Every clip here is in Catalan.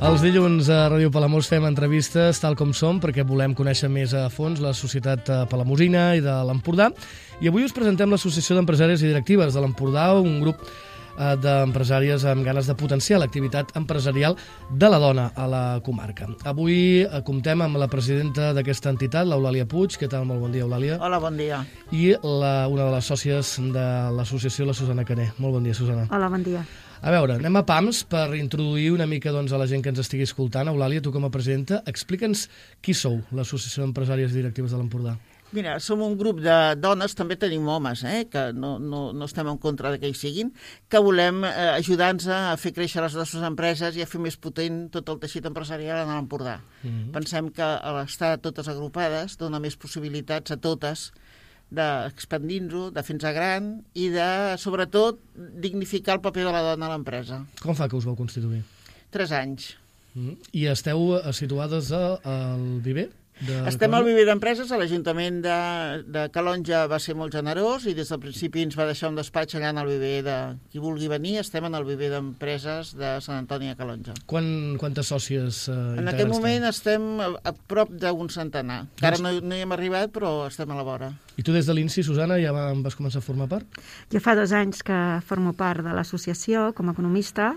Els dilluns a Ràdio Palamós fem entrevistes tal com som perquè volem conèixer més a fons la societat palamosina i de l'Empordà. I avui us presentem l'Associació d'Empresàries i Directives de l'Empordà, un grup d'empresàries amb ganes de potenciar l'activitat empresarial de la dona a la comarca. Avui comptem amb la presidenta d'aquesta entitat, l'Eulàlia Puig. Què tal? Molt bon dia, Eulàlia. Hola, bon dia. I una de les sòcies de l'associació, la Susana Caner. Molt bon dia, Susana. Hola, bon dia. A veure, anem a pams per introduir una mica a la gent que ens estigui escoltant. Eulàlia, tu com a presidenta, explica'ns qui sou, l'Associació d'Empresàries i Directives de l'Empordà. Mira, som un grup de dones, també tenim homes, que no estem en contra que hi siguin, que volem ajudar-nos a fer créixer les nostres empreses i a fer més potent tot el teixit empresarial en l'Empordà. Pensem que l'estar totes agrupades dona més possibilitats a totes d'expandir-nos, de fer-nos gran i de, sobretot, dignificar el paper de la dona a l'empresa. Com fa que us vau constituir? 3 anys. I esteu situades al Viver? Estem al Viver d'Empreses, l'Ajuntament de Calonja va ser molt generós i des del principi ens va deixar un despatx allà en el Viver de qui vulgui venir. Estem en el Viver d'Empreses de Sant Antoni de Calonja. Quantes sòcies integrants? En aquest moment estem a prop d'un centenar. Encara no hi hem arribat, però estem a la vora. I tu des de l'INSI, Susana, ja vas començar a formar part? Jo fa 2 anys que formo part de l'associació com a economista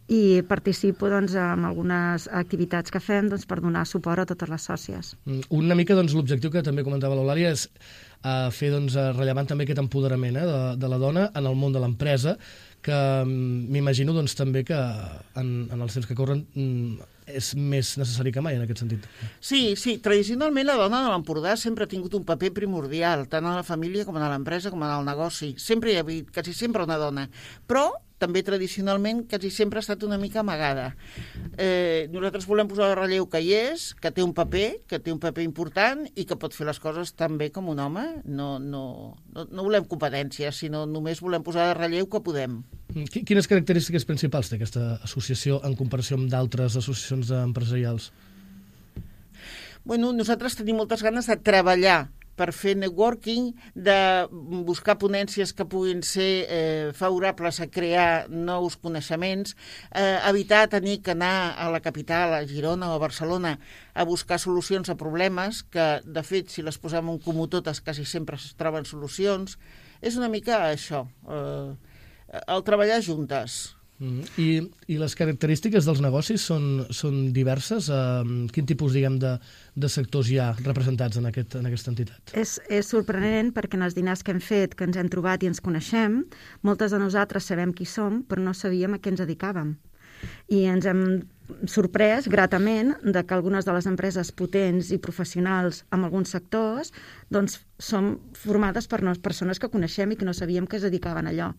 i participo en algunes activitats que fem per donar suport a totes les sòcies. Una mica l'objectiu que també comentava l'Eulàlia és fer rellevant també aquest empoderament de la dona en el món de l'empresa, que m'imagino també que en els temps que corren és més necessari que mai en aquest sentit. Sí, tradicionalment la dona de l'Empordà sempre ha tingut un paper primordial, tant a la família com a l'empresa com al negoci. Sempre hi ha hagut, quasi sempre una dona. Però també tradicionalment quasi sempre ha estat una mica amagada. Nosaltres volem posar en relleu que hi és, que té un paper important i que pot fer les coses tan bé com un home. No volem competències, sinó només volem posar en relleu que podem. Quines característiques principals té aquesta associació en comparació amb d'altres associacions empresarials? Bueno, nosaltres tenim moltes ganes de treballar per fer networking, de buscar ponències que puguin ser favorables a crear nous coneixements, evitar tenir que anar a la capital, a Girona o a Barcelona, a buscar solucions a problemes que, de fet, si les posem en comú totes, quasi sempre es troben solucions. És una mica això, el treballar juntes. I les característiques dels negocis són diverses? Quin tipus, de sectors hi ha representats en aquesta entitat? És sorprenent perquè en els dinars que hem fet, que ens hem trobat i ens coneixem, moltes de nosaltres sabem qui som, però no sabíem a què ens dedicàvem. I ens hem sorprès gratament de que algunes de les empreses potents i professionals en alguns sectors són formades per persones que coneixem i que no sabíem que es dedicaven a allò.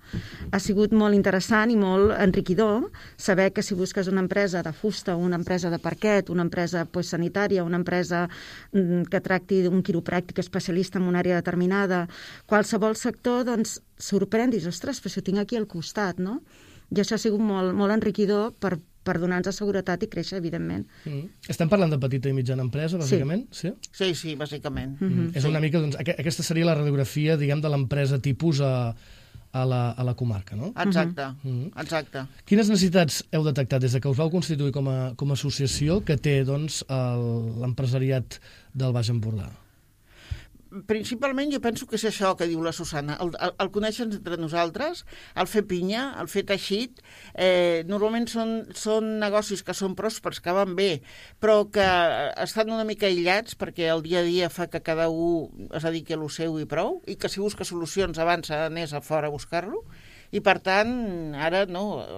Ha sigut molt interessant i molt enriquidor saber que si busques una empresa de fusta, una empresa de parquet, una empresa sanitària, una empresa que tracti d'un quiropràctic especialista en una àrea determinada, qualsevol sector, sorprèn, dius, ostres, però si ho tinc aquí al costat, no? I això ha sigut molt, molt enriquidor per donar-nos seguretat i créixer, evidentment. Estem parlant de petita i mitjana empresa, bàsicament? Sí, bàsicament. És una mica, aquesta seria la radiografia, de l'empresa tipus a la comarca, no? Exacte. Quines necessitats heu detectat des que us vau constituir com a associació que té, l'empresariat del Baix Empordà? Principalment jo penso que és això que diu la Susana, el conèixer-nos entre nosaltres, el fer pinya, el fer teixit. Normalment són negocis que són pròspers, que van bé, però que estan una mica aïllats perquè el dia a dia fa que cada un es dediqui a lo seu i prou, i que si busca solucions abans anés a fora a buscar-lo. I, per tant, ara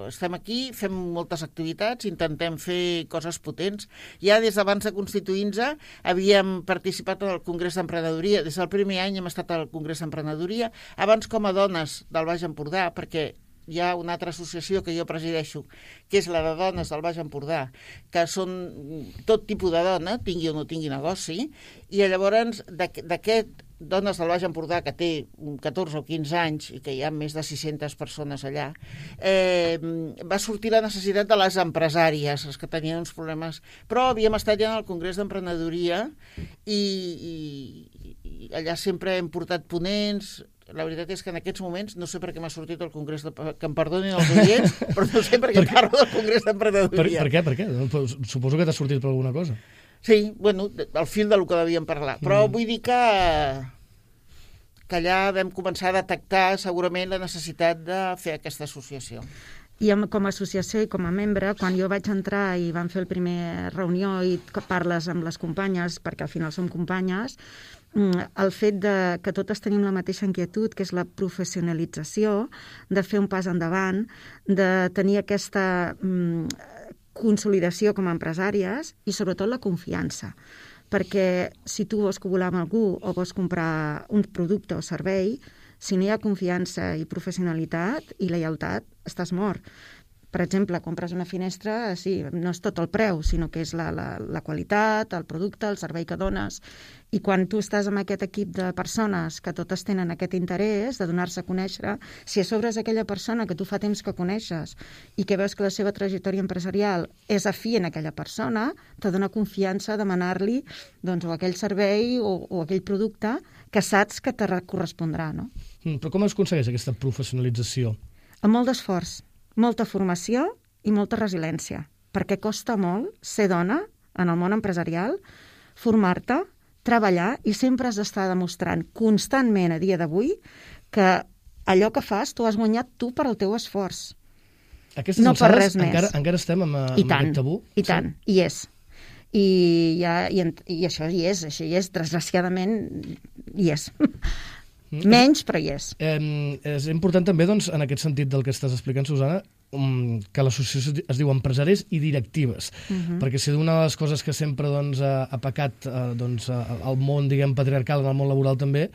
estem aquí, fem moltes activitats, intentem fer coses potents. Ja des d'abans de constituir-nos havíem participat en el Congrés d'Emprenedoria. Des del primer any hem estat al Congrés d'Emprenedoria, abans com a dones del Baix Empordà, perquè hi ha una altra associació que jo presideixo, que és la de dones del Baix Empordà, que són tot tipus de dona, tingui o no tingui negoci, i llavors d'aquest dones del Baix Empordà, que té 14 o 15 anys i que hi ha més de 600 persones allà, va sortir la necessitat de les empresàries, les que tenien uns problemes. Però havíem estat ja en el Congrés d'Emprenedoria i allà sempre hem portat ponents, la veritat és que en aquests moments no sé per què m'ha sortit el Congrés que em perdonin els oients, però no sé per què parlo del Congrés d'Emprenedoria. Per què? Suposo que t'ha sortit per alguna cosa. Sí, bueno, al fil del que devíem parlar. Però vull dir que allà vam començar a detectar segurament la necessitat de fer aquesta associació. I com a associació i com a membre, quan jo vaig entrar i vam fer el primer reunió i parles amb les companyes, perquè al final som companyes, el fet que totes tenim la mateixa inquietud, que és la professionalització, de fer un pas endavant, de tenir aquesta consolidació com a empresàries i sobretot la confiança. Perquè si tu vols cobular amb algú o vols comprar un producte o servei, si no hi ha confiança i professionalitat i lleialtat, estàs mort. Per exemple, compres una finestra, sí, no és tot el preu, sinó que és la qualitat, el producte, el servei que dones. I quan tu estàs amb aquest equip de persones que totes tenen aquest interès de donar-se a conèixer, si a sobre és aquella persona que tu fa temps que coneixes i que veus que la seva trajectòria empresarial és afí en aquella persona, te dona confiança a demanar-li doncs, o aquell servei o aquell producte que saps que te correspondrà, no? Però com es aconsegueix aquesta professionalització? Amb molt d'esforç, molta formació i molta resiliència, perquè costa molt ser dona en el món empresarial, formar-te, treballar i sempre has d'estar demostrant constantment a dia d'avui que allò que fas t'ho has guanyat tu per al teu esforç. Aquestes no per res alçades més. encara estem amb aquest tabú? I tant, hi és. I això hi és, desgraciadament hi és. Menys, però hi és. És important també, doncs, en aquest sentit del que estàs explicant, Susana, que l'associació es diu Empresaris i Directives, perquè si una de les coses que sempre ha pecat al món, diguem, patriarcal, en el món laboral també,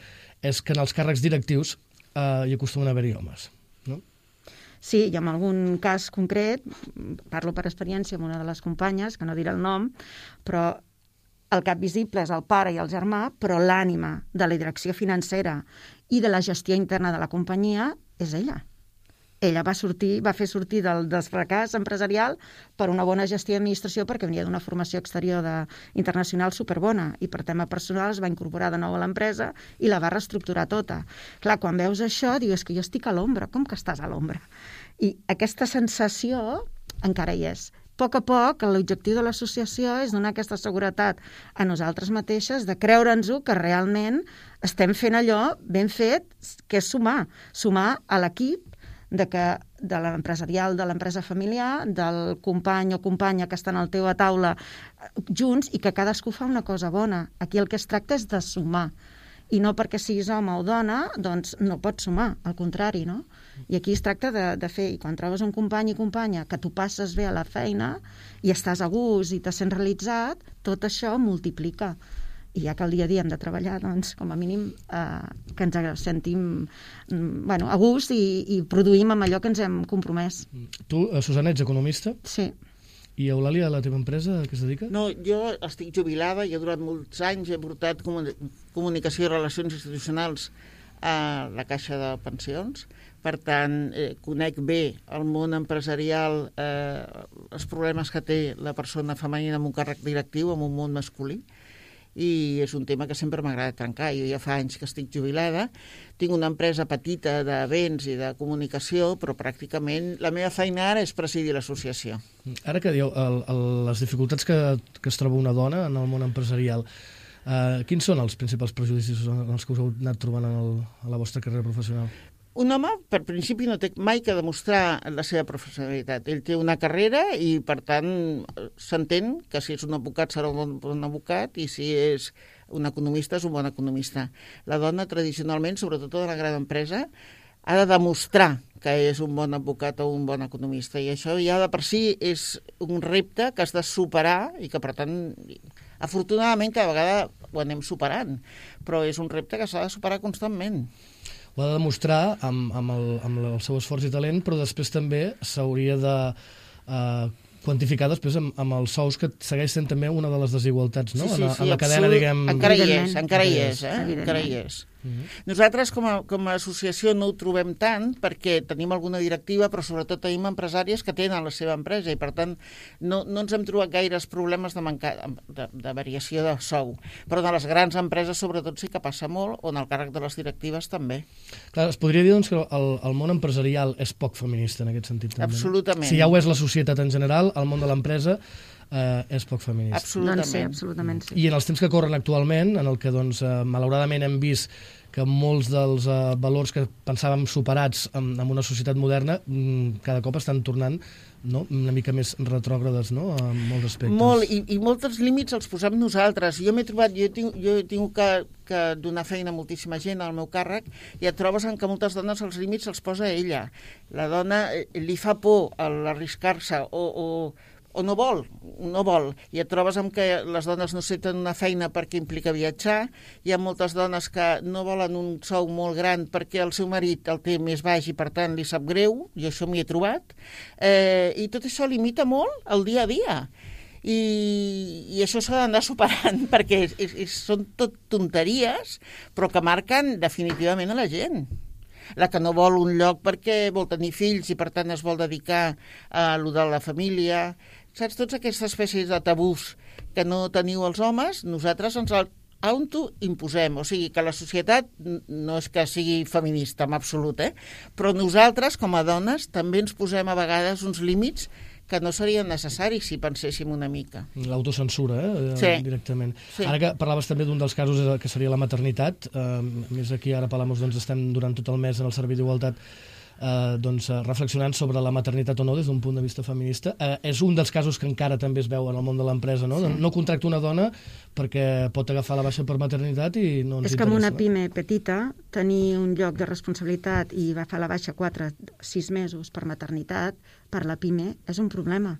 és que en els càrrecs directius hi acostumen a haver-hi homes, no? Sí, i en algun cas concret, parlo per experiència amb una de les companyes, que no diré el nom, però el cap visible és el pare i el germà, però l'ànima de la direcció financera i de la gestió interna de la companyia és ella. Ella va fer sortir del fracàs empresarial per una bona gestió i administració perquè venia d'una formació exterior internacional superbona i per tema personal es va incorporar de nou a l'empresa i la va reestructurar tota. Clar, quan veus això, dius que jo estic a l'ombra. Com que estàs a l'ombra? I aquesta sensació encara hi és. A poc, l'objectiu de l'associació és donar aquesta seguretat a nosaltres mateixes de creure'ns-ho que realment estem fent allò ben fet, que és sumar a l'equip de l'empresarial, de l'empresa familiar, del company o companya que estan al teu a taula junts i que cadascú fa una cosa bona. Aquí el que es tracta és de sumar. I no perquè siguis home o dona, doncs no pots sumar, al contrari, no? I aquí es tracta de fer, i quan trobes un company i companya que tu passes bé a la feina i estàs a gust i te sents realitzat, tot això multiplica. I ja que el dia a dia hem de treballar, doncs, com a mínim, que ens sentim a gust i produïm amb allò que ens hem compromès. Tu, Susana, ets economista? Sí. I Eulàlia, la teva empresa, a què es dedica? No, jo estic jubilada, jo durant molts anys he portat comunicació i relacions institucionals a la Caixa de Pensions. Per tant, conec bé el món empresarial, els problemes que té la persona femenina amb un càrrec directiu, amb un món masculí, i és un tema que sempre m'agrada trencar. Jo ja fa anys que estic jubilada, tinc una empresa petita de béns i de comunicació, però pràcticament la meva feina ara és presidir l'associació. Ara que dieu les dificultats que es troba una dona en el món empresarial, quins són els principals prejudicis en els que us heu anat trobant a la vostra carrera professional? Un home, per principi, no té mai que demostrar la seva professionalitat. Ell té una carrera i, per tant, s'entén que si és un advocat serà un bon advocat i si és un economista és un bon economista. La dona, tradicionalment, sobretot en la gran empresa, ha de demostrar que és un bon advocat o un bon economista. I això ja de per si és un repte que has de superar i que, per tant, afortunadament, cada vegada ho anem superant. Però és un repte que s'ha de superar constantment. Ho ha de demostrar amb el seu esforç i talent, però després també s'hauria de quantificar després amb els sous, que segueix sent també una de les desigualtats, no? Sí, en la cadena, diguem... Encara hi és. Nosaltres, com a associació, no ho trobem tant, perquè tenim alguna directiva, però sobretot tenim empresàries que tenen la seva empresa i, per tant, no ens hem trobat gaires problemes de variació de sou. Però de les grans empreses, sobretot, sí que passa molt, on el càrrec de les directives també. Clar, es podria dir doncs, que el món empresarial és poc feminista en aquest sentit. També, absolutament. Si ja ho és la societat en general, el món de l'empresa és poc feminista. Absolutament. Doncs sí, absolutament sí. I en els temps que corren actualment, en el que doncs, malauradament hem vist que molts dels valors que pensàvem superats en una societat moderna cada cop estan tornant una mica més retrògrades, no?, en molts aspectes. Molt, i molts límits els posem nosaltres. Jo m'he trobat, jo he tingut que donar feina a moltíssima gent al meu càrrec i et trobes en que moltes dones els límits els posa ella. La dona li fa por l'arriscar-se o no vol, i et trobes amb que les dones no accepten una feina perquè implica viatjar, hi ha moltes dones que no volen un sou molt gran perquè el seu marit el té més baix i per tant li sap greu, jo això m'hi he trobat, i tot això limita molt el dia a dia. I això s'ha d'anar superant perquè són tot tonteries però que marquen definitivament a la gent. La que no vol un lloc perquè vol tenir fills i per tant es vol dedicar a lo de la família. Saps, tots aquestes espècies de tabús que no teniu els homes, nosaltres ens autoimposem. O sigui que la societat no és que sigui feminista en absolut, però nosaltres com a dones també ens posem a vegades uns límits que no serien necessaris si penséssim una mica. L'autocensura, sí. Directament. Sí. Ara que parlaves també d'un dels casos que seria la maternitat, més aquí ara a Palamós doncs, estem durant tot el mes en el Servei d'Igualtat reflexionant sobre la maternitat o no des d'un punt de vista feminista. És un dels casos que encara també es veu en el món de l'empresa, no? Sí. No contracta una dona perquè pot agafar la baixa per maternitat i no ens interessa. És que amb una pime petita, tenir un lloc de responsabilitat i agafar la baixa 4-6 mesos per maternitat, per la pime, és un problema.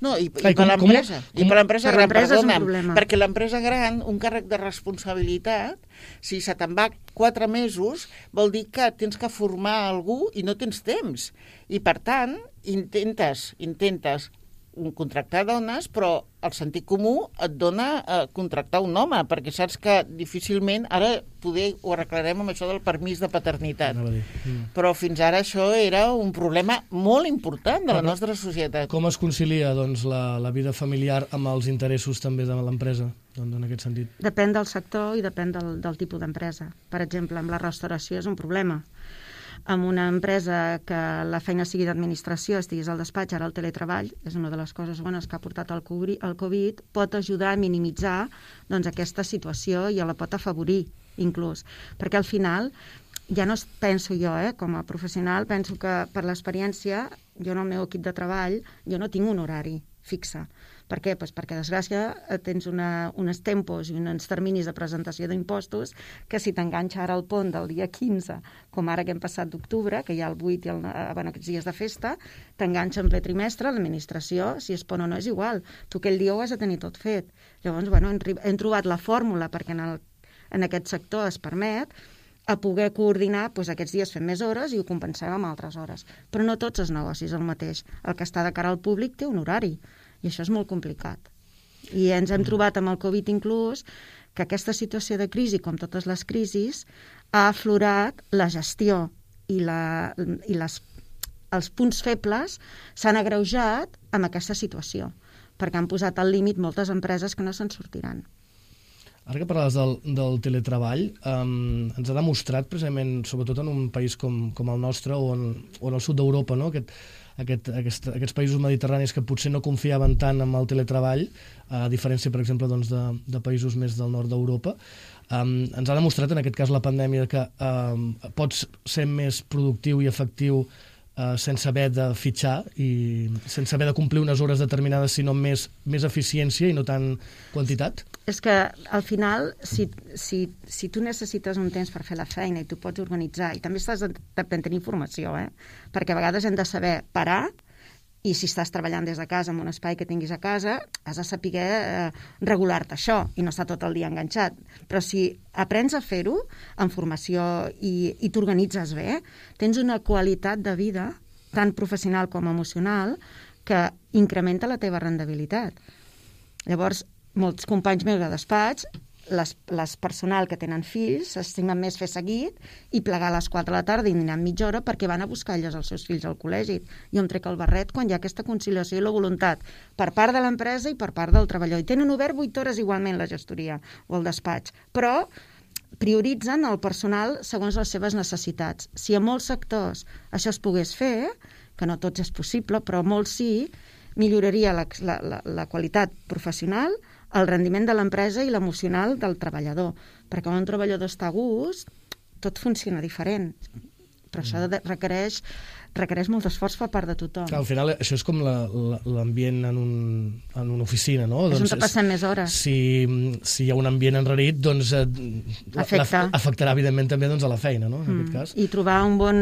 No, i per l'empresa. I per l'empresa gran, perdona'm, perquè l'empresa gran, un càrrec de responsabilitat, si se te'n va 4 mesos, vol dir que tens que formar algú i no tens temps. I, per tant, intentes contractar dones, però el sentit comú et dona contractar un home, perquè saps que difícilment, ara poder ho arreglarem amb això del permís de paternitat. Però fins ara això era un problema molt important de la nostra societat. Com es concilia doncs, la vida familiar amb els interessos també de l'empresa, doncs, en aquest sentit? Depèn del sector i depèn del tipus d'empresa. Per exemple, amb la restauració és un problema. Amb una empresa que la feina sigui d'administració, estiguis al despatx, ara el teletreball, és una de les coses bones que ha portat el Covid, pot ajudar a minimitzar doncs, aquesta situació i la pot afavorir, inclús. Perquè al final, ja no penso jo, com a professional, penso que per l'experiència, jo en el meu equip de treball, jo no tinc un horari fixe. Per què? Pues perquè, desgràcia, tens uns tempos i uns terminis de presentació d'impostos que si t'enganxa ara el pont del dia 15, com ara que hem passat d'octubre, que hi ha el 8 i aquests dies de festa, t'enganxa en ple trimestre, l'administració, si es pon o no és igual. Tu aquell dia ho has de tenir tot fet. Llavors, hem trobat la fórmula perquè en aquest sector es permet a poder coordinar aquests dies fem més hores i ho compensem amb altres hores. Però no tots els negocis el mateix. El que està de cara al públic té un horari. I això és molt complicat. I ens hem trobat amb el Covid inclús que aquesta situació de crisi, com totes les crisis, ha aflorat la gestió i els punts febles s'han agreujat amb aquesta situació, perquè han posat al límit moltes empreses que no se'n sortiran. Ara que parlaves del teletreball, ens ha demostrat precisament, sobretot en un país com el nostre o en el sud d'Europa, no? Aquests països mediterranis que potser no confiaven tant en el teletreball, a diferència, per exemple, doncs, de països més del nord d'Europa, ens ha demostrat en aquest cas la pandèmia que pots ser més productiu i efectiu sense haver de fitxar i sense haver de complir unes hores determinades, sinó més eficiència i no tant quantitat? És que al final, si tu necessites un temps per fer la feina i tu pots organitzar, i també estàs de tenir informació, perquè a vegades hem de saber parar, i si estàs treballant des de casa en un espai que tinguis a casa, has de saber regular-te això i no estar tot el dia enganxat. Però si aprens a fer-ho amb formació i t'organitzes bé, tens una qualitat de vida, tant professional com emocional, que incrementa la teva rendibilitat. Llavors, molts companys meus de despatx les personal que tenen fills s'estimen més fer seguit i plegar a les 4 de la tarda i dinar mitja hora perquè van a buscar elles els seus fills al col·legi. Jo em trec el barret quan hi ha aquesta conciliació i la voluntat per part de l'empresa i per part del treballador. I tenen obert 8 hores igualment la gestoria o el despatx, però prioritzen el personal segons les seves necessitats. Si a molts sectors això es pogués fer, que no tots és possible, però molts sí, milloraria la qualitat professional, el rendiment de l'empresa i l'emocional del treballador. Perquè quan un treballador està a gust, tot funciona diferent. Però això requereix molt d'esforç per part de tothom. Clar, al final això és com l'ambient en una oficina, no? És on passem més hores. Si hi ha un ambient enrarit, doncs afectarà evidentment també a la feina, no? En aquest cas. I trobar un bon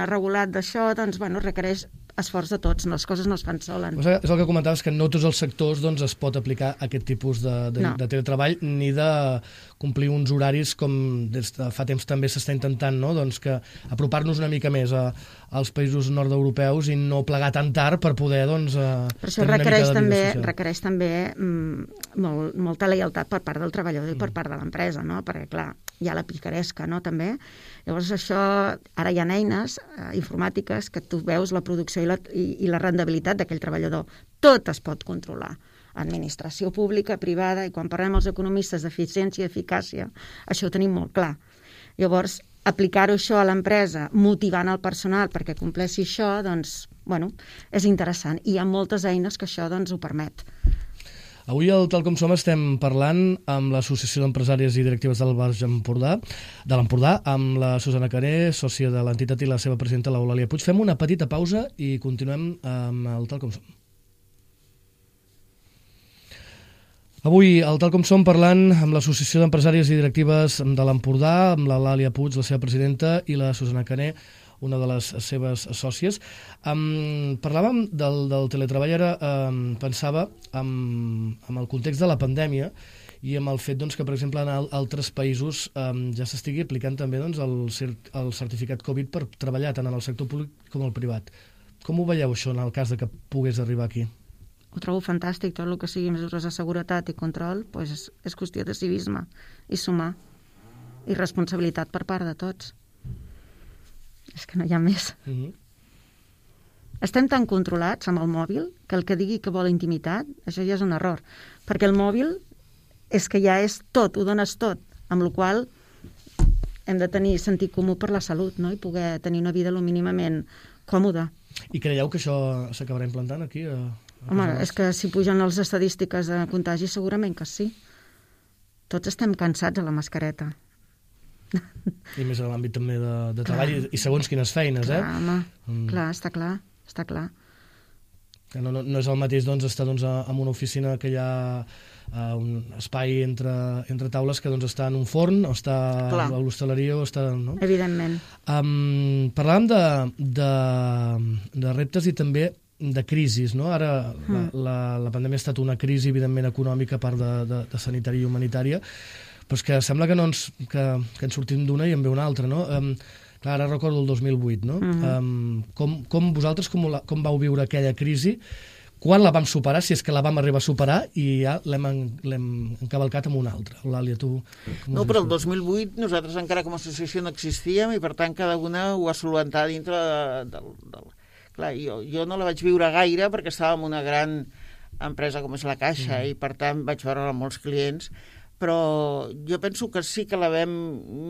regulat d'això, doncs, requereix esforç de tots, les coses no es fan solen. És el que comentaves, que no tots els sectors es pot aplicar aquest tipus de teletreball, ni de complir uns horaris com des de fa temps també s'està intentant, no? Doncs que apropar-nos una mica més als països nord-europeus i no plegar tan tard per poder per això requereix també molta lleialtat per part del treballador i per part de l'empresa, no? Perquè clar, hi ha la picaresca, no? També. Llavors això, ara hi ha eines informàtiques que tu veus la producció i la rendibilitat d'aquell treballador. Tot es pot controlar. Administració pública, privada, i quan parlem els economistes d'eficiència i eficàcia, això ho tenim molt clar. Llavors, aplicar-ho això a l'empresa, motivant el personal perquè compleixi això, doncs, és interessant. I hi ha moltes eines que això ho permet. Avui al Tal Com Som estem parlant amb l'Associació d'Empresàries i Directives del Baix Empordà, amb la Susana Caré, sòcia de l'entitat, i la seva presidenta, l'Eulàlia Puig. Fem una petita pausa i continuem amb el Tal Com Som. Avui al Tal Com Som parlant amb l'Associació d'Empresàries i Directives de l'Empordà, amb l'Eulàlia Puig, la seva presidenta, i la Susana Caré, una de les seves sòcies. Parlàvem del teletreball, ara pensava en el context de la pandèmia i amb el fet que, per exemple, en altres països ja s'estigui aplicant també el certificat Covid per treballar tant en el sector públic com el privat. Com ho veieu, això, en el cas que pogués arribar aquí? Ho trobo fantàstic, tot el que sigui mesures de seguretat i control, és qüestió de civisme i sumar, i responsabilitat per part de tots. És que no hi ha més. Estem tan controlats amb el mòbil que el que digui que vol intimitat, això ja és un error. Perquè el mòbil és que ja és tot, ho dones tot, amb la qual hem de tenir sentit comú per la salut, no? I poder tenir una vida lo mínimament còmoda. I creieu que això s'acabarà implantant aquí? Home, és que si pugen les estadístiques de contagi segurament que sí. Tots estem cansats de la mascareta. I més en l'àmbit també de treball i segons quines feines, clar, home, clar, està clar. Que no és el mateix estar en una oficina que hi ha un espai entre taules que està en un forn o està a l'hostaleria o està... No? Evidentment. Parlàvem de reptes i també de crisis, no? Ara la pandèmia ha estat una crisi, evidentment, econòmica, a part de sanitària i humanitària, però és que sembla que ens sortim d'una i en ve una altra, no? Clar, ara recordo el 2008, no? Com vosaltres, com vau viure aquella crisi? Quan la vam superar, si és que la vam arribar a superar, i ja l'hem encavalcat amb una altra? Eulàlia, tu... No, però el 2008 nosaltres encara com a associació no existíem i per tant cada una ho va solventar dintre del... Clar, jo no la vaig viure gaire perquè estava en una gran empresa com és la Caixa i per tant vaig veure molts clients, però jo penso que sí que la vam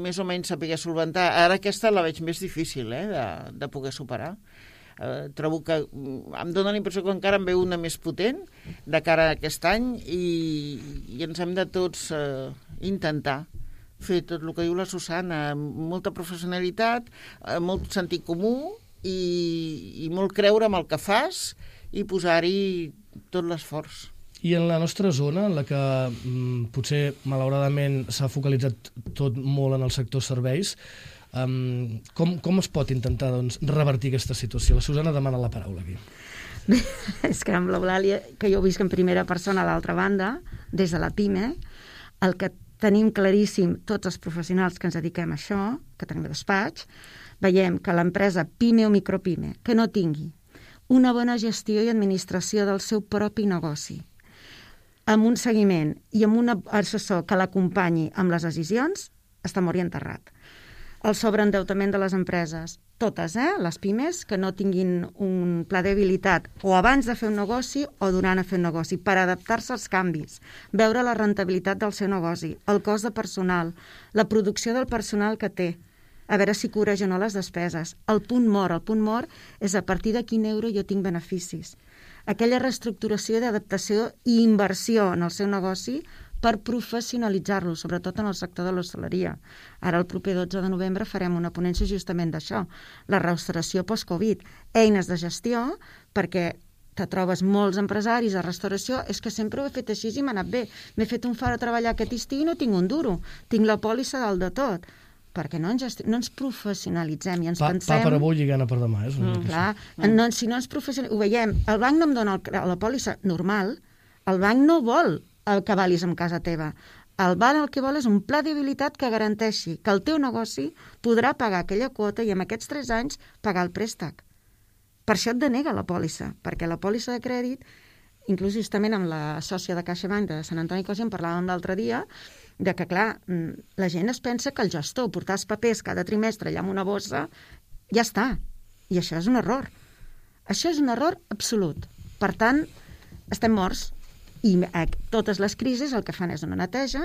més o menys saber solventar. Ara aquesta la veig més difícil de poder superar. Trobo que em dóna la impressió que encara en ve una més potent de cara a aquest any i ens hem de tots intentar fer tot el que diu la Susana, amb molta professionalitat, molt sentit comú i molt creure en el que fas i posar-hi tot l'esforç. I en la nostra zona, en la que potser, malauradament, s'ha focalitzat tot molt en el sector serveis, com es pot intentar revertir aquesta situació? La Susana demana la paraula aquí. Bé, és que amb l'Eulàlia, que jo ho visc en primera persona a l'altra banda, des de la PIME, el que tenim claríssim tots els professionals que ens dediquem a això, que tenim despatx, veiem que l'empresa PIME o micropime que no tingui una bona gestió i administració del seu propi negoci, amb un seguiment i amb un assessor que l'acompanyi amb les decisions, està mort i enterrat. El sobreendeutament de les empreses, totes, les pimes, que no tinguin un pla d'habilitat o abans de fer un negoci o durant a fer un negoci, per adaptar-se als canvis, veure la rentabilitat del seu negoci, el cost de personal, la producció del personal que té, a veure si cobreix o no les despeses. El punt mort és a partir de quin euro jo tinc beneficis. Aquella reestructuració d'adaptació i inversió en el seu negoci per professionalitzar-lo, sobretot en el sector de l'hostaleria. Ara, el proper 12 de novembre, farem una ponència justament d'això, la restauració post-Covid, eines de gestió, perquè te trobes molts empresaris de restauració, és que sempre ho he fet així i m'ha anat bé. M'he fet un far a treballar aquest estiu i no tinc un duro, tinc la pòlissa dalt de tot. Perquè no ens professionalitzem i ens pensem... Pa per avui i gana per demà, és una mica clar, si no ens professionalitzem... Ho veiem, el banc no em dona la pòlissa normal, el banc no vol el que valis en casa teva. El banc el que vol és un pla d'habilitat que garanteixi que el teu negoci podrà pagar aquella quota i en aquests 3 anys pagar el préstec. Per això et denega la pòlissa, perquè la pòlissa de crèdit, inclús justament amb la sòcia de CaixaBank de Sant Antoni Cosi en parlàvem l'altre dia, de que, clar, la gent es pensa que el gestor portar els papers cada trimestre allà amb una bossa, ja està. I això és un error. Això és un error absolut. Per tant, estem morts. I totes les crisis el que fan és una neteja,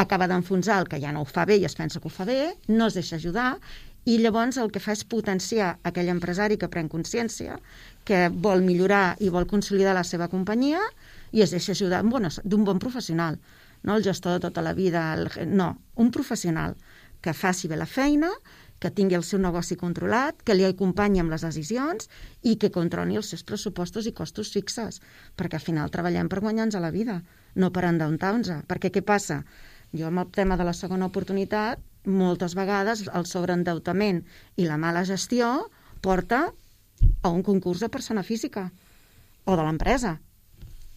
acaba d'enfonsar el que ja no ho fa bé i es pensa que ho fa bé, no es deixa ajudar, i llavors el que fa és potenciar aquell empresari que pren consciència, que vol millorar i vol consolidar la seva companyia i es deixa ajudar d'un bon professional. No el gestor de tota la vida, no, un professional que faci bé la feina, que tingui el seu negoci controlat, que li acompanyi amb les decisions i que controli els seus pressupostos i costos fixes, perquè al final treballem per guanyar-nos a la vida, no per endeutar-nos. Perquè què passa? Jo amb el tema de la segona oportunitat, moltes vegades el sobreendeutament i la mala gestió porta a un concurs de persona física o de l'empresa.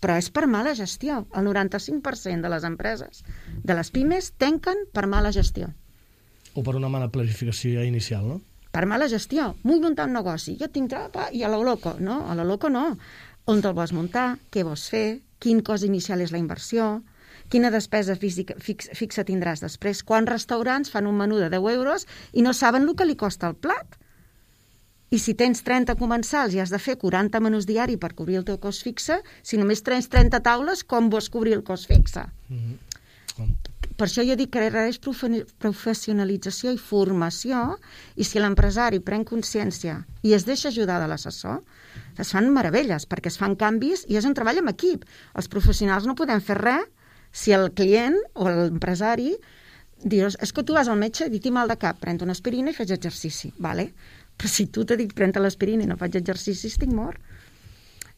Però és per mala gestió. El 95% de les empreses, de les pimes, tanquen per mala gestió. O per una mala planificació ja inicial, no? Per mala gestió. Vull muntar un negoci. Jo tinc i a la loco. No, a la loco no. On te'l vols muntar? Què vols fer? Quin cost inicial és la inversió? Quina despesa fixa tindràs després? Quants restaurants fan un menú de 10 euros i no saben el que li costa el plat? I si tens 30 comensals i has de fer 40 menús diari per cobrir el teu cost fixe, si només tens 30 taules, com vols cobrir el cost fixe? Per això jo dic que és professionalització i formació, i si l'empresari pren consciència i es deixa ajudar de l'assessor, es fan meravelles, perquè es fan canvis i és un treball en equip. Els professionals no podem fer res si el client o l'empresari dius, és que tu vas al metge i tinc mal de cap, pren una aspirina i fes exercici, vale? Però si tu t'he dit pren l'aspirina i no faig exercici, estic mort.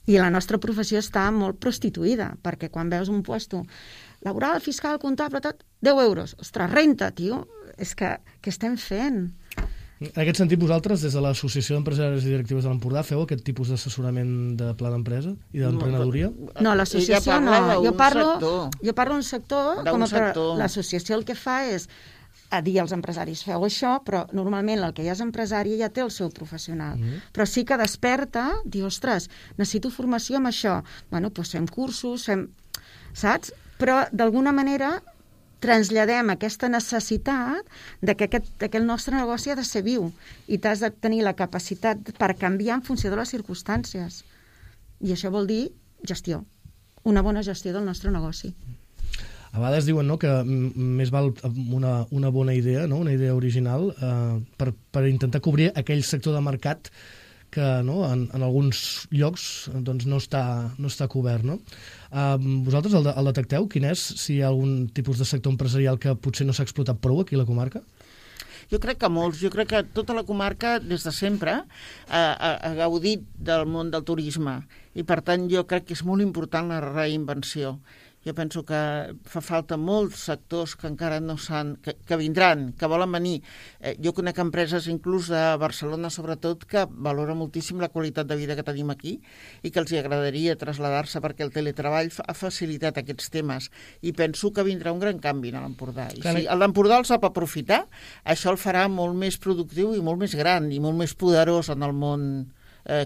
I la nostra professió està molt prostituïda, perquè quan veus un puesto laboral, fiscal, comptable, tot, 10 euros. Ostres, renta, tio. És que què estem fent? En aquest sentit, vosaltres, des de l'Associació d'Empresaris i Directives de l'Empordà, feu aquest tipus d'assessorament de pla d'empresa i d'emprenedoria? No, l'associació no. Jo parlo d'un sector, l'associació el que fa és a dir als empresaris, feu això, però normalment el que ja és empresari ja té el seu professional. Però sí que desperta, diu, ostres, necessito formació amb això. Bueno, doncs fem cursos, saps? Però d'alguna manera traslladem aquesta necessitat de que el nostre negoci ha de ser viu i t'has de tenir la capacitat per canviar en funció de les circumstàncies. I això vol dir gestió, una bona gestió del nostre negoci. A vegades diuen, no, que més val una bona idea, no, una idea original, per intentar cobrir aquell sector de mercat que en alguns llocs doncs, no està cobert. No? Vosaltres el detecteu? Quin és? Si hi ha algun tipus de sector empresarial que potser no s'ha explotat prou aquí a la comarca? Jo crec que molts. Jo crec que tota la comarca, des de sempre, ha gaudit del món del turisme. I, per tant, jo crec que és molt important la reinvenció. Jo penso que fa falta molts sectors que encara no s'han... que vindran, que volen venir. Jo conec empreses, inclús de Barcelona, sobretot, que valoren moltíssim la qualitat de vida que tenim aquí i que els agradaria traslladar-se perquè el teletreball ha facilitat aquests temes. I penso que vindrà un gran canvi a l'Empordà. I si l'Empordà el sap aprofitar, això el farà molt més productiu i molt més gran i molt més poderós en el món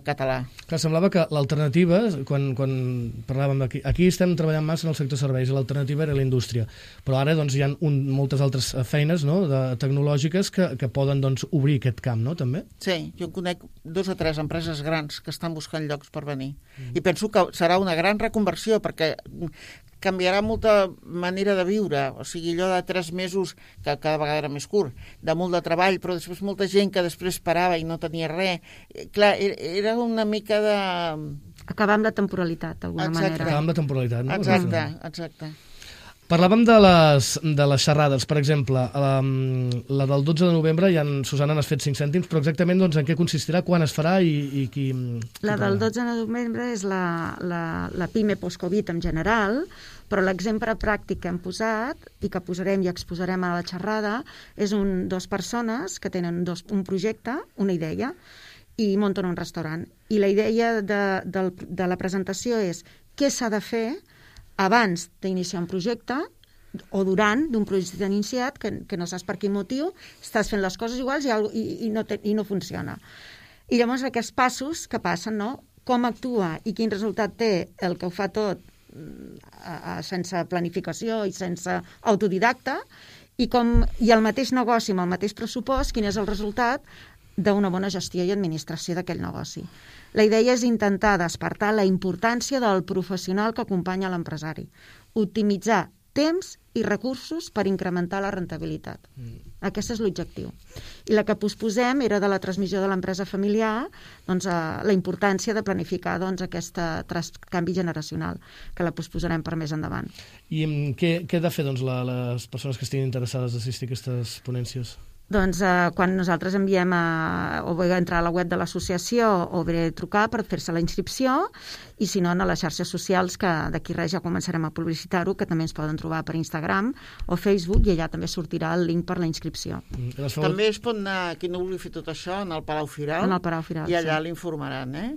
català. Clar, semblava que l'alternativa, quan parlàvem aquí estem treballant massa en el sector serveis i l'alternativa era la indústria, però ara doncs, hi ha moltes altres feines, no?, tecnològiques que poden doncs, obrir aquest camp, no?, també? Sí, jo conec 2 o 3 empreses grans que estan buscant llocs per venir. I penso que serà una gran reconversió, perquè canviarà molta manera de viure, o sigui, allò de 3 mesos, que cada vegada era més curt, de molt de treball, però després molta gent que després parava i no tenia res. Clar, era una mica de... Acabar amb la temporalitat, d'alguna manera. Acabar amb la temporalitat, no? Exacte. Parlàvem de les xerrades, per exemple, la del 12 de novembre, Susana, n'has fet 5 cèntims, però exactament doncs, en què consistirà, quan es farà i qui... La del 12 de novembre és la PIME post-Covid en general, però l'exemple pràctic que hem posat i que posarem i exposarem a la xerrada és 2 persones que tenen un projecte, una idea, i munten un restaurant. I la idea de la presentació és què s'ha de fer abans d'iniciar un projecte o durant d'un projecte iniciat que no saps per quin motiu, estàs fent les coses iguals i no funciona. I llavors aquests passos que passen, no? Com actua i quin resultat té el que ho fa tot sense planificació i sense autodidacta i el mateix negoci amb el mateix pressupost, quin és el resultat d'una bona gestió i administració d'aquell negoci. La idea és intentar despertar la importància del professional que acompanya l'empresari, optimitzar temps i recursos per incrementar la rentabilitat. Aquest és l'objectiu. I la que posposem era de la transmissió de l'empresa familiar, doncs, la importància de planificar aquest canvi generacional, que la posposarem per més endavant. I què he de fer doncs, les persones que estiguin interessades d'assistir a aquestes ponències? Doncs quan nosaltres enviem o bé entrar a la web de l'associació o bé trucar per fer-se la inscripció i si no a les xarxes socials que d'aquí res ja començarem a publicitar-ho, que també ens poden trobar per Instagram o Facebook i allà també sortirà el link per la inscripció. També es pot anar, qui no vulgui fer tot això, en el Palau Firal, i allà l'informaran,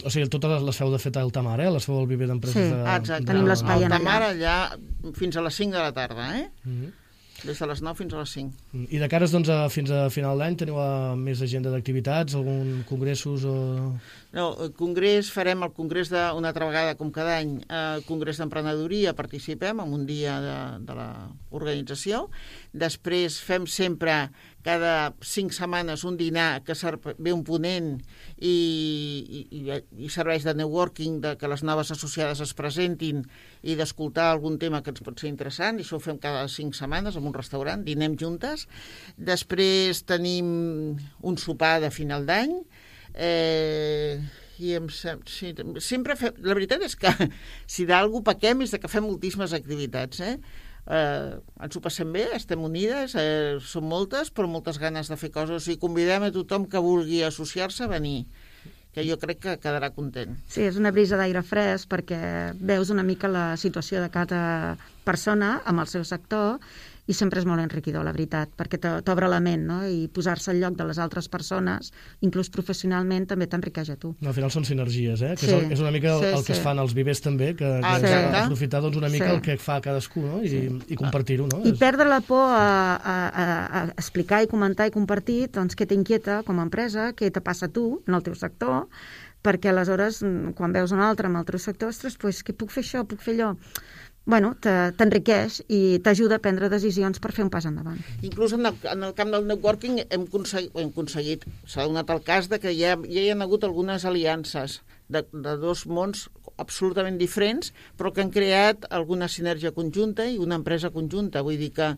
O sigui, totes les feu de fet a Altamar, les feu al viver d'empreses de... Sí, exacte, tenim l'espai allà. Altamar allà fins a les 5 de la tarda, des de les 9 fins a les 5. I de cares doncs, fins a final d'any teniu més agenda d'activitats, algun congressos o... No, farem el congrés una altra vegada com cada any, el congrés d'emprenedoria, participem en un dia de l'organització. Després fem sempre cada 5 setmanes un dinar que ve un ponent i serveix de networking, que les noves associades es presentin i d'escoltar algun tema que ens pot ser interessant, i això ho fem cada 5 setmanes en un restaurant, dinem juntes. Després tenim un sopar de final d'any, sempre fem... La veritat és que si d'algú pequem és que fem moltíssimes activitats, ens ho passem bé, estem unides, són moltes, però moltes ganes de fer coses, i convidem a tothom que vulgui associar-se a venir, que jo crec que quedarà content. Sí, és una brisa d'aire fresc perquè veus una mica la situació de cada persona amb el seu sector i sempre és molt enriquidor, la veritat, perquè t'obre la ment, no? I posar-se al lloc de les altres persones, inclús professionalment, també t'enriqueix a tu. No, al final són sinergies, que és una mica el que es fan als vivers també, que aprofitar doncs, una mica el que fa cadascú, no? I compartir-ho. No? I perdre la por a explicar i comentar i compartir doncs, què t'inquieta com a empresa, què te passa a tu en el teu sector, perquè aleshores, quan veus un altre en el teu sector, ostres, doncs, què puc fer això, puc fer allò? Bueno, t'enriqueix i t'ajuda a prendre decisions per fer un pas endavant. Inclús en el camp del networking hem aconseguit, s'ha donat el cas de que ja hi ha hagut algunes aliances de 2 mons absolutament diferents, però que han creat alguna sinergia conjunta i una empresa conjunta. Vull dir que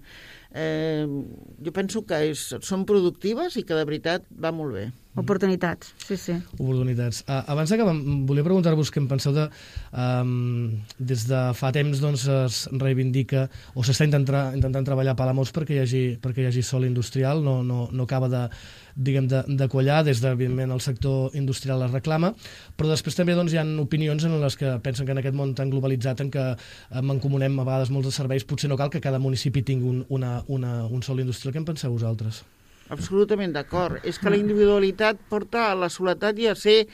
jo penso que són productives i que de veritat va molt bé. Oportunitats, sí. Oportunitats. Abans d'acabar, volia preguntar-vos què en penseu des de fa temps doncs, es reivindica o s'està intentant treballar a Palamós perquè hi hagi sòl industrial, no acaba de quallar, des de, evidentment, el sector industrial es reclama, però després també doncs, hi ha opinions en les que pensen que en aquest món tan globalitzat en què mancomunem a vegades molts de serveis, potser no cal que cada municipi tingui un sòl industrial. Què en penseu vosaltres? Absolutament d'acord. És que la individualitat porta a la soledat i a ser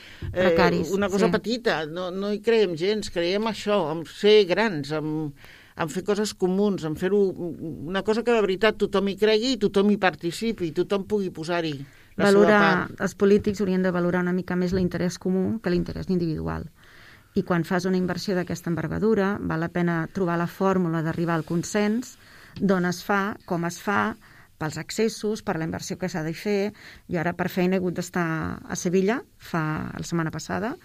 una cosa petita. No hi creiem gens, creiem això, en ser grans, en fer coses comuns, en fer-ho una cosa que de veritat tothom hi cregui i tothom hi participi, i tothom pugui posar-hi la seva part. Els polítics haurien de valorar una mica més l'interès comú que l'interès individual. I quan fas una inversió d'aquesta envergadura, val la pena trobar la fórmula d'arribar al consens, d'on es fa, com es fa, pels accessos, per la inversió que s'ha de fer. Jo ara per feina he hagut d'estar a Sevilla la setmana passada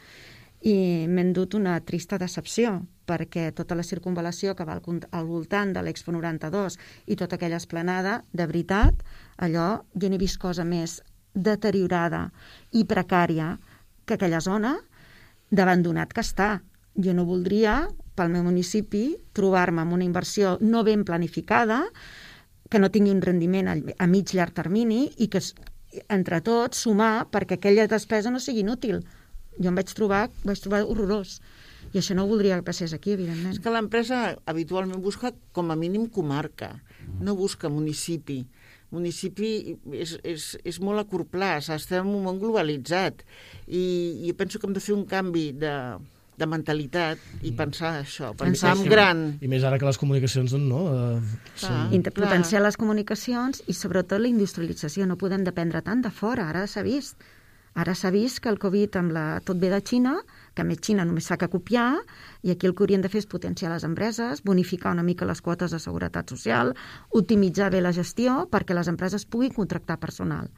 i m'he endut una trista decepció, perquè tota la circunvalació que va al voltant de l'Expo 92 i tota aquella esplanada, de veritat, allò, jo n'he vist cosa més deteriorada i precària que aquella zona d'abandonat que està. Jo no voldria, pel meu municipi, trobar-me amb una inversió no ben planificada, que no tingui un rendiment a mig llarg termini i que, entre tots, sumar perquè aquella despesa no sigui inútil. Jo em vaig trobar horrorós. I això no ho voldria que passés aquí, evidentment. És que l'empresa habitualment busca com a mínim comarca, no busca municipi. Municipi és molt a curt plaç, estem en un món globalitzat i penso que hem de fer un canvi de mentalitat i pensar això, pensar en gran. I més ara que les comunicacions Potenciar les comunicacions i sobretot la industrialització. No podem dependre tant de fora, ara s'ha vist. Ara s'ha vist que el Covid tot ve de Xina, que a més Xina només fa que copiar, i aquí el que haurien de fer és potenciar les empreses, bonificar una mica les quotes de seguretat social, optimitzar bé la gestió perquè les empreses puguin contractar personal.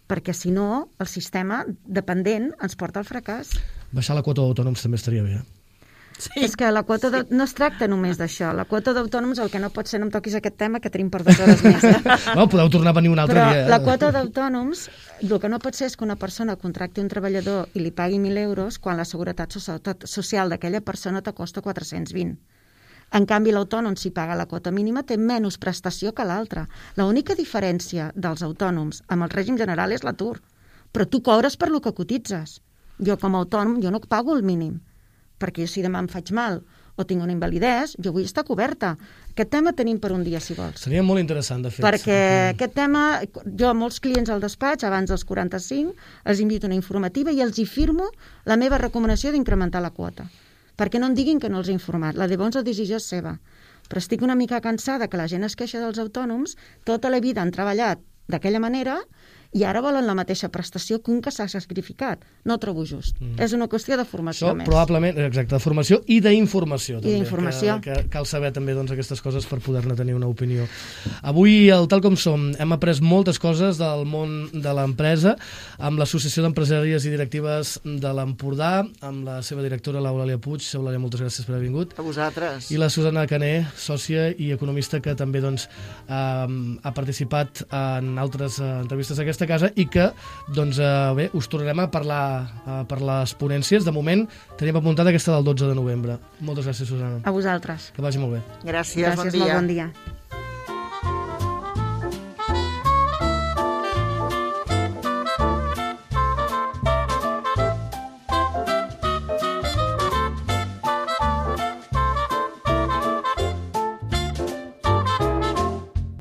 Perquè si no, el sistema dependent ens porta al fracàs. Baixar la quota d'autònoms també estaria bé. Sí. És que la quota no es tracta només d'això. La quota d'autònoms, el que no pot ser, no em toquis aquest tema, que tenim per 2 hores més. No, podeu tornar a venir un altre dia. Però la quota d'autònoms, el que no pot ser és que una persona contracti un treballador i li pagui 1.000 euros quan la seguretat social d'aquella persona te costa 420. En canvi, l'autònom, si paga la quota mínima, té menys prestació que l'altre. L'única diferència dels autònoms amb el règim general és l'atur. Però tu cobres per lo que cotitzes. Jo, com a autònom, jo no pago el mínim, perquè si demà em faig mal o tinc una invalidesa, jo vull estar coberta. Aquest tema tenim per un dia, si vols. Seria molt interessant, de fet. Perquè aquest tema, jo a molts clients al despatx, abans dels 45, els invito a una informativa i els hi firmo la meva recomanació d'incrementar la quota. Perquè no em diguin que no els he informat. La llavors la decisió és seva. Però estic una mica cansada que la gent es queixa dels autònoms, tota la vida han treballat d'aquella manera i ara volen la mateixa prestació que un que s'ha sacrificat. No ho trobo just. És una qüestió de formació més. Probablement, exacte, de formació i d'informació. I d'informació. Que cal saber també aquestes coses per poder-ne tenir una opinió. Avui, al Tal Com Som, hem après moltes coses del món de l'empresa amb l'Associació d'Empresàries i Directives de l'Empordà, amb la seva directora, l'Eulàlia Puig. Eulàlia, moltes gràcies per haver vingut. A vosaltres. I la Susana Caner, sòcia i economista, que també ha participat en altres entrevistes d'aquesta casa i que, bé, us tornarem a parlar per les ponències. De moment, tenim apuntada aquesta del 12 de novembre. Moltes gràcies, Susana. A vosaltres. Que vagi molt bé. Gràcies, bon dia. Gràcies, molt bon dia.